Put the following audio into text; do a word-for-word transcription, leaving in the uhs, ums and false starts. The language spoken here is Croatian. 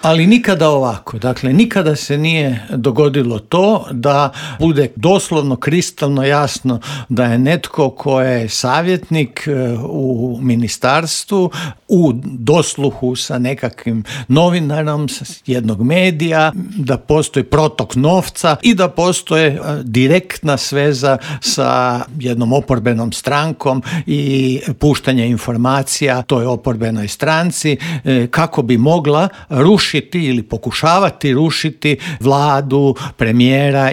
Ali nikada ovako, dakle nikada se nije dogodilo to da bude doslovno kristalno jasno da je netko ko je savjetnik u ministarstvu u dosluhu sa nekakvim novinarom sa jednog medija, da postoji protok novca i da postoje direktna sveza sa jednom oporbenom strankom i puštanje informacija toj oporbenoj stranci kako bi mogla rušiti ili pokušavati rušiti vladu, premijera